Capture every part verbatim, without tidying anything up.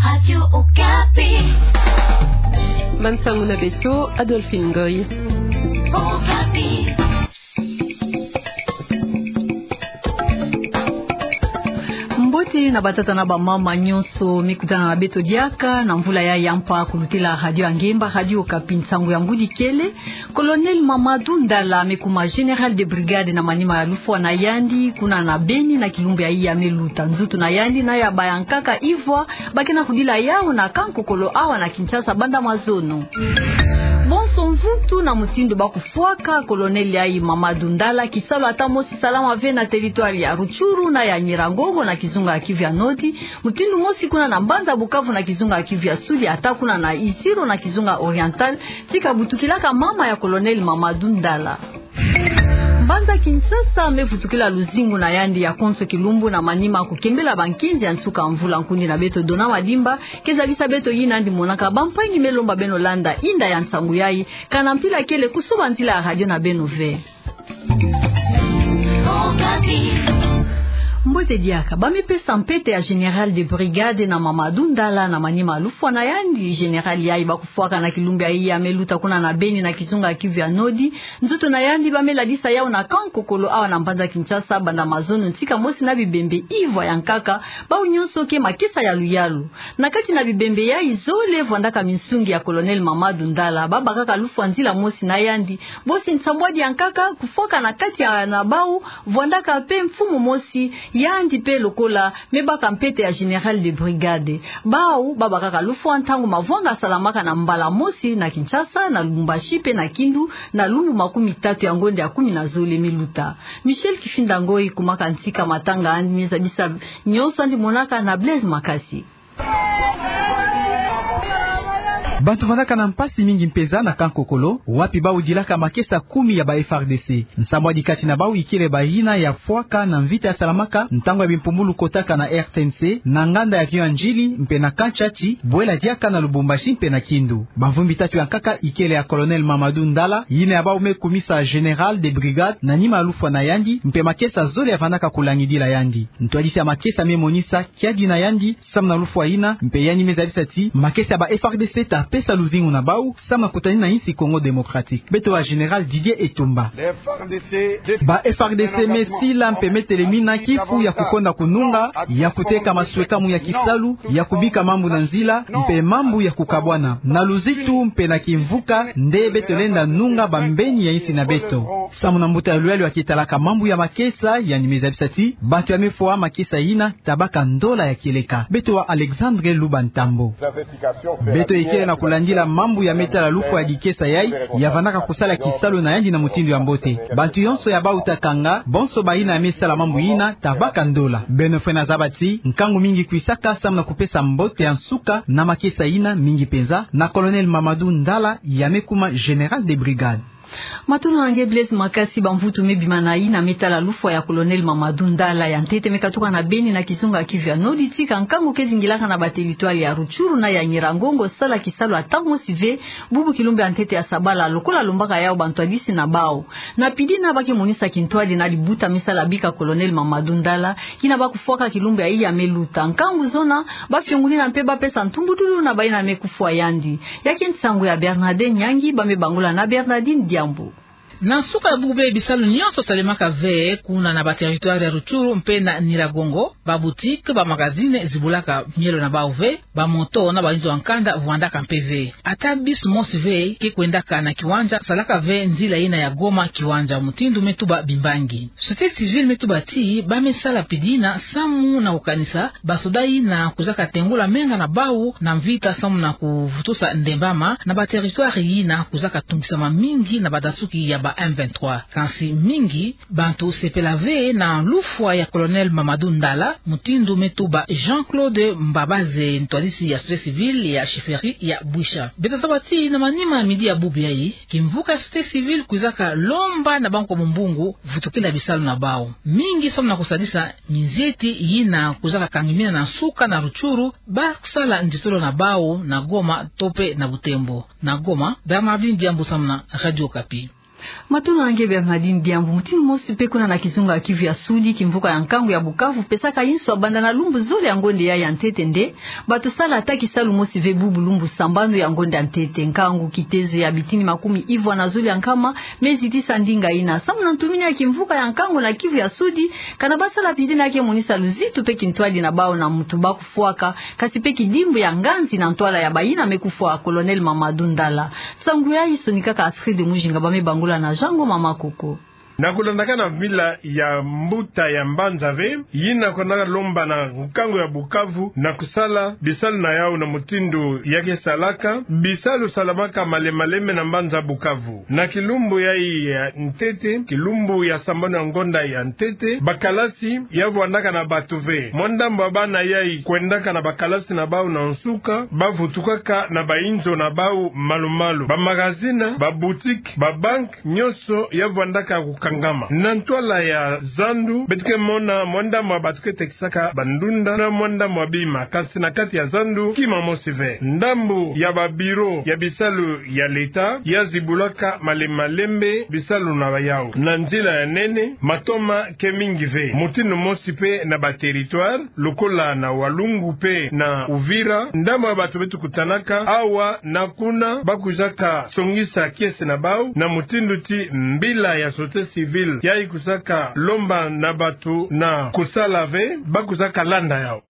Radio Okapi. Bansangu na beto, Adolphine Ngoy. Okapi. Mbote na batata na bamama nyonso, mi kutana na beto diaka na mvula ya yampa kulutila Radio Angemba, Radio Okapi, nsangu ya ngudi kele. Colonel Mamadou Ndala me kuma général de brigade na manima ya lufwa na yandi, kuna na Beni na kilumbu yayi ya me luta. Nzutu na yandi na ya bayankaka ivwa ba ke na kudila yawu na kankokolo awa na Kinshasa banda mazono. Bonso mvutu na mutindu ba kufwaka colonel yayi Mamadou Ndala, kisalu ata mosi salama ve na territoire ya Rutshuru na ya Nyiragongo na kizunga ya Kivu ya Nord, mutindu mosi kuna na mbanza Bukavu na kizunga ya Kivu ya Sud, ata kuna na Isiro na kizunga Oriental, ti kabutukilaka mama ya colonel Mamadou Ndala. Mbanza Kinshasa me vutukila luzingu na yandi ya konso kilumbu na manima kukembela bankinzi ya nsuka mvula. Nkundi na beto Dona Madimba ke zabisa beto yina yandi monaka. Bampangi, me lomba beno landa inda ya nsangu yayi, kana mpila kele kusoba nzila ya radio na beno ve. Mbote diaka. Ba me pesa mpete ya général de brigade na Mamadou Ndala na manima ya lufwa na yandi. Général yayi ba kufwaka na kilumbu yayi ya me luta kuna na Beni na kizunga ya Kivu ya Nord. Nzutu na yandi ba me ladisa yawu na kankokolo awa na mbanza Kinshasa banda mazono ntika mosi na bibembe ivwa yankaka. Bawu nyonso ke makesa ya luyalu. Na kati na bibembe yayi zole vwandaka minsungi ya colonel Mamadou Ndala, ba bakaka lufwa nzila mosi na yandi. Bosi nsambwadi yankaka, kufwaka na kati ya na bawu vwandaka mpe mfumu mosi, yandi mpe lokola me baka mpete ya général de brigade. Bawu ba bakaka lufwa ntangu mavwanga salamaka na mbala mosi na Kinshasa, na Lubumbashi mpe na Kindu, na lumbu makumi tatu ya ngonda ya kumi na zole me luta. Michel Kifinda Ngoyi kumaka ntika matanga yandi, me zabisa nyonso yandi monaka na Blaise Makasi. Bantu vandaka na mpasi mingi mpenza na kankokolo, wapi bawu dilaka makesa kumi ya ba F R D C. Nsambwadi kati na bawu ikele bayina ya fwaka na mvita ya salamaka ntangu ya bimpumbulu kotaka na R T N C, na nganda ya Vieux Ndjili, mpe na Kantsatshi, bwela diaka na Lubumbashi mpe na Kindu. Bamvumbi tatu yankaka ikele ya colonel Mamadou Ndala, yina ya bawu me kumisa général de brigade na nima ya lufwa na yandi, mpe makesa zole ya vandaka kulangidila yandi. Ntwadisi ya makesa me monisa kiadi na yandi samu na lufwa yina, mpe yandi me zabisa ti makesa ya ba F R D C ta pesa luzingu na bawu samu na kutani na insi Congo Démocratique. Beto wa général Didier Etumba. Ba F R D C me sila mpe me telemina kifu ya kukonda kununga, ya kuteka maswekamu ya kisalu, ya kubika mambu na nzila, mpe mambu ya kukabwana. Na luzitu mpe na kimvuka nde beto lenda nunga bambeni ya insi na beto. Samu na mbuta ya luyalu ya kitalaka mambu ya makesa, yandi me zabisa ti bantu ya me fwa makesa yina ta baka ndola ya kieleka. Beto wa Alexandre Luba Ntambo. Beto ikele na kulandila mambu ya me tala lufwa ya dikesa yayi, ya vandaka kusala kisalu na yandi na mutindu ya mbote. Bantu yonso ya bawu ta kanga, bonso bayina ya me sala mambu yina ta baka ndola. Beno fwena zaba ti nkangu mingi kwisaka samu na kupesa mbote ya nsuka na makesa yina, mingi mpenza na colonel Mamadou Ndala ya me kuma général de brigade. Matondo na nge Blaise Makasi. Bamvutu me bima na yina me tala lufwa ya colonel Mamadou Ndala, ya ntete me katuka na Beni na kizunga ya Kivu ya Nord, tika nkangu ke zingilaka na ba territoire ya Rutshuru na ya Nyiragongo sala kisalu ata mosi ve, bubu kilumbu ya ntete ya sabala, lokola lombaka yawu bantwadisi na bawu. Na pidi yina ba ke monisa kintwadi na libuta me sala bika colonel Mamadou Ndala, yina ba kufwaka kilumbu yayi ya me luta. Nkangu zona, ba fionguli yina mpe ba pesa ntumbudulu na bayina me kufwa yandi. Ya ke nsangu ya Bernadette Nyangi, ba me bangula na Bernardine Diambu. Na nsuka ya bubu be bisalu nyonso salemaka ve kuna na ba territoire ya Rutshuru mpe na Nyiragongo, ba boutique, ba magazine zibulaka mielo na bawu ve, ba moto na bayinzo ya nkanda vwandaka mpe ve. Ata bus mosi ve ke kwendaka na kiwanja, salaka ve nzila yina ya Goma kiwanja, mutindu me tuba bimbangi. Société civile me tuba ti ba me sala pidi yina samu na kukanisa basoda yina kwizaka tengula menga na bawu na mvita samu na kuvutusa ndembama na ba territoire yina kwizaka tungisama mingi na badasuki ya ba M vingt-trois. Kansi mingi bantu sepela ve na lufwa ya colonel Mamadou Ndala, mutindu me tuba Jean-Claude Mbabaze, ntwadisi ya société civile ya chefferie ya Bwisha. Beto zaba ti na manima ya midi ya bubu yayi, kimvuka ya société civile kwizaka lomba na bantu kwa mumbungu vutukila bisalu na bawu. Mingi samu na kusadisa minzieti yina kwizaka kangimina na nsuka na Rutshuru, ba sala nzitolo na bawu na Goma to mpe na Butembo. Na Goma, Bernardine Diambu samu na Radio Okapi. Matondo na nge Bernardine Diambu. Mutindu mosi mpe kuna na kizunga Kivu ya Sudi, kimvuka ya nkangu ya Bukavu pesaka inswa banda na lumbu zole ya ngonde ya ya ntete nde bato sala ata kisalu mosi ve bubu lumbu sambanu ya ngonde ya ntete. Nkangu kitezo ya bitini makumi ivwa na zole ya nkama me zitisa ndinga ina. Samu na ntumini ya kimvuka ya nkangu na Kivu ya Sudi, kana basala pide na ke monisa luzitu mpe kintwadi na bau na mutu bakufwaka, kasi mpe kidimbu ya nganzi na ntwala ya bayina me kufwa. Colonel Mamadou Ndala. Nsangu yayi sonikaka Astrid Mujinga, ba me bangula na Jean Ngoma Makoko. Na kulandaka na mbila ya mbuta ya mbanza ve, yina kwenda lomba na nkangu ya Bukavu na kusala bisalu na yau na mutindu ya ke salaka, bisalu salamaka malembe malembe na mbanza Bukavu. Na kilumbu yayi ya ntete, kilumbu ya sambanu ya ngonda ya ntete, bakalasi ya vwandaka na bato ve. Mwa ndambu ya bana yayi kwendaka na bakalasi na bau na nsuka, bavutukaka na bainzo na bau malu-malu. Bamagazini, baboutique, babanque, nyonso ya vwandaka kukangama. Na ntwala ya zandu, beto ke mona mwa ndambu ya bato ke tekisaka bandunda na mwa ndambu ya bima, kasi na kati ya zandu, kima mosi ve. Ndambu ya babiro ya bisalu ya leta ya zibulaka malembe malembe bisalu na yau. Na nzila ya nene, matoma ke mingi ve. Mutindu mosi mpe na baterritware, lokola na Walungu mpe na Uvira, ndambu ya bato beto kutanaka awa na kuna, bakwizaka songisa kiese na bau na mutindu ti mbila ya société civile yayi kwizaka lomba na bato na kusala ve, bakwizaka landa yau.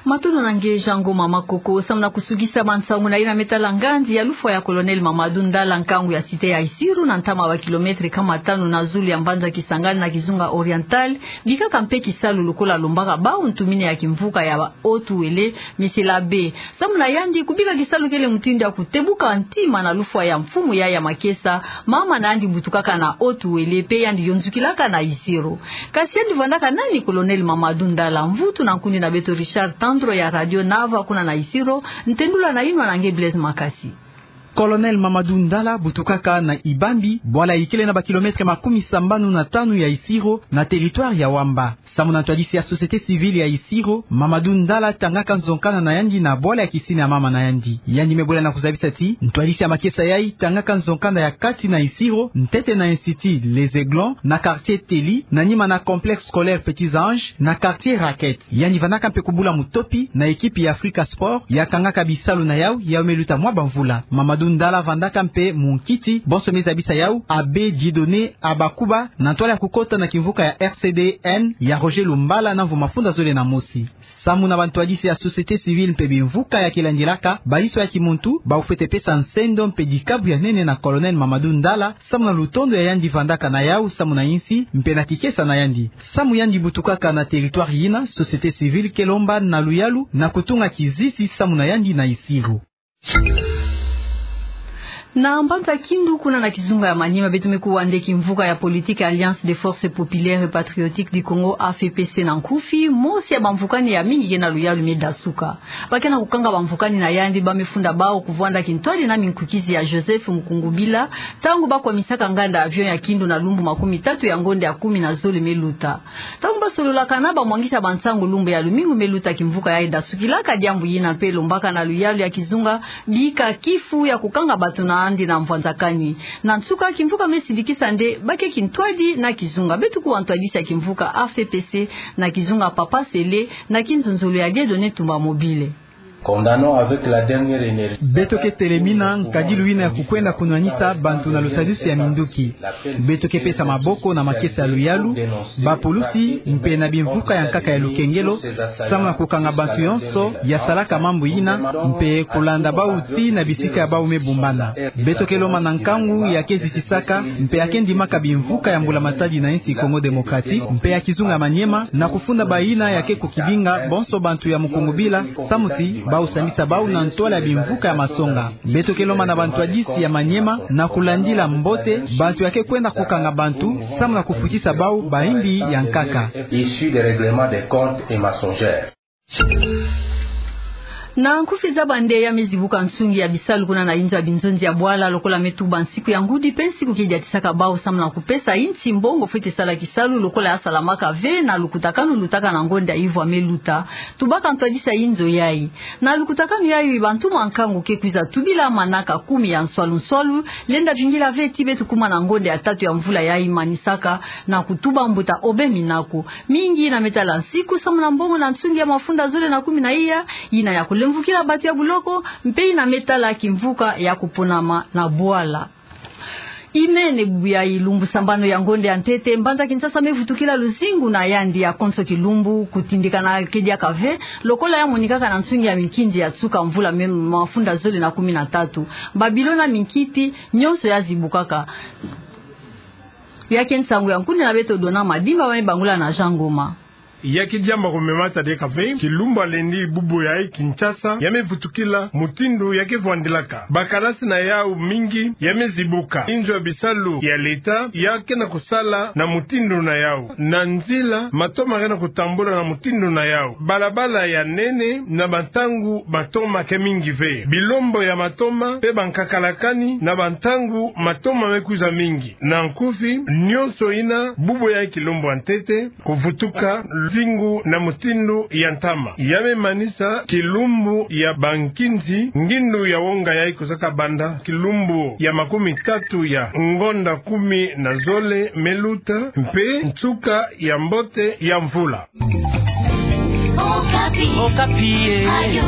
Matondo na nge Jean Ngoma Makoko. Samu na kusukisa bansangu na yina me tala nganzi ya lufwa ya Colonel Mamadou Ndala, nkangu ya cité ya Isiro, na ntama ya bakilometre kama tanu na zulu ya mbanza Kisangani na kizunga Oriental, bikaka mpe kisalu lokola lombaka bau ntumini ya kimvuka ya Haut-Uélé, Monsieur l'Abbé. Samu na yandi, kubika kisalu kele mutindu ya kutebuka ntima na lufwa ya mfumu yayi ya makesa, mama na yandi butukaka na Haut-Uélé, mpe yandi yonzukilaka na Isiro. Kasi yandi vwandaka nani Colonel Mamadou Ndala? Mvutu na nkundi na beto Richard Tandro ya Radio Nava kuna na Isiro, ntendula na yinwa na nge Blaise Makasi. Colonel Mamadou Ndala butukaka na Ibambi, bwala ikele na bakilometre makumi sambanu na tanu ya Isiro, na territoire ya Wamba. Samu na ntwadisi ya société civile ya Isiro, Mamadou Ndala tangaka nzonkanda na yandi na bwala ya kisini ya mama na yandi. Yandi me bwela na kuzabisa ti ntwadisi ya makesa yayi tangaka nzonkanda ya kati na Isiro, ntete na Institut Les Aiglons, na quartier Telly, na nima na complexe scolaire Petits Anges, na quartier Raquette. Yandi vandaka mpe kubula mutopi na ekipi ya Africa Sport ya kangaka bisalu na yau, yau me luta mwa bamvula. Mamadou Ndala vandaka mpe munkiti, bonso me zabisa yau, Abbé Dieudonné Abakuba, na ntwala ya kukota na kimvuka ya R C D N ya Roger Lumbala na mvu mafunda zole na mosi. Samu na bantwadisi ya société civile mpe bimvuka ya ke landilaka baiswa ya kimuntu, bau fwete pesa nsendo mpe dikabu ya nene na Colonel Mamadou Ndala, samu na lutondo ya yandi vandaka na yau samu na insi, mpe na kikesa na yandi. Samu yandi butukaka na territoire yina, société civile ke lomba na luyalu na kutunga kizisi samu na yandi na Isiro. Na mbanza Kindu, kuna na kizunga ya Maniema, beto me kuwa nde kimvuka ya politique Alliance des Forces Populaires et Patriotiques du Congo, A F P C na nkufi, mosi ya bamvukani ya mingi ke na luyalu me dasuka. Ba ke na kukanga bamvukani na yandi, ba me funda bau kuvwanda kintwadi na minkukizi ya Joseph Mukungubila, ntangu ba kwamisaka nganda avion ya Kindu na lumbu makumi tatu ya ngonde ya kumi na zole me luta. Ntangu ba sololaka na bamwangisa bansangu lumbu ya lumingu me luta, kimvuka yayi dasukilaka diambu yina mpe lombaka na luyalu ya kizunga bika kifu ya kukanga bato na yandi na mvwanzakani. Na nsuka, kimvuka me sidikisa nde ba ke kintwadi na kizunga. Beto kuwa ntwadisi ya kimvuka A F P C na kizunga, Papa Sele, na kinzonzolo ya Dieudonné Tumba Mobile. Condamnons avec la dernière énergie. Beto ke telemina nkadilu yina ya kukwenda kunwanisa bantu na lusadisu ya minduki. Beto ke pesa maboko na makesa ya luyalu, bapulusi, mpe na bimvuka ya nkaka ya lukengelo, samu na kukanga bantu yonso ya salaka mambu yina, mpe kulanda bau tii na bisika ya bau me bumbana. Beto ke lomba na nkangu ya ke zisisaka mpe ya ke ndimaka bimvuka ya Mbula Matadi na insi Congo Démocratique mpe ya kizunga Maniema, na kufunda bayina ya ke kukibinga bonso bantu ya Mukungubila, samu ti bau sambisa bau na ntwala ya bimvuka ya masonga. Beto ke lomba na bantwadisi ya Maniema na kulandila mbote bantu ya ke kwenda kukanga bantu, samu na kufutisa bau bayimbi ya nkaka. Issus des règlements des comptes et mensongères. Na nkufi zaba nde ya me zibuka nsungi ya bisalu kuna na inzo ya binzonzi ya bwala lokola me tuba nsiku ya ngudi mpe nsiku kediatisaka bau samu na kupesa insi mbongo fwete sala kisalu lokola ya salamaka ve na lukutakanu lutaka na ngonda ivwa me luta. Tubaka ntwadisi ya inzo yayi. Na lukutakanu yayi bantu mwa nkangu ke kwiza tubila manaka kumi ya nswalu nswalu, lenda vingila ve ti beto kuma na ngonda ya tatu ya mvula yayi manisaka na kutuba mbuta Aubin Minaku. Mingi yina me tala nsiku samu na mbongo na nsungi ya mafunda zole na kumi na iya, yina ya kulemvukila bato ya buloko, mpe yina me tala kimvuka ya kuponama na bwala. Imene bubu yayi lumbu sambanu ya ngonda ya ntete, mbanza Kinshasa me vutukila luzingu na yandi ya konso kilumbu, kutindikana ke diaka ve, lokola ya monikaka na nsungi ya minkinzi ya nsuka mvula me mafunda zole na kumi na tatu. Ba bilo na minkiti, nyonso ya zibukaka. Ya ke nsangu ya nkundi na beto Dona Madimba, ba me bangula na Jean Ngoma. Ya ke diambu ko me mata diaka ve, kilumbu ya lendi bubu yayi Kinshasa ya me vutukila mutindu ya ke vwandilaka. Ba kalasi na yau mingi ya me zibuka. Inzo ya bisalu ya leta ya ke na kusala na mutindu na yau. Na nzila, matoma ke na kutambula na mutindu na yau. Balabala ya nene, na bantangu matoma ke mingi ve. Bilombo ya matoma mpe bankakalakani, na bantangu matoma me kwiza mingi. Na nkufi, nyonso yina bubu yayi kilumbu ya ntete kuvutuka luzingu na mutindu ya ntama. Ya me manisa kilumbu ya bankinzi, ngindu ya wonga yayi kwiza kabanda kilumbu ya makumi tatu ya ngonda kumi na zole me luta, mpe nsuka ya mbote ya mvula. Okapi. Okapi, eh. Radio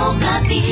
Okapi.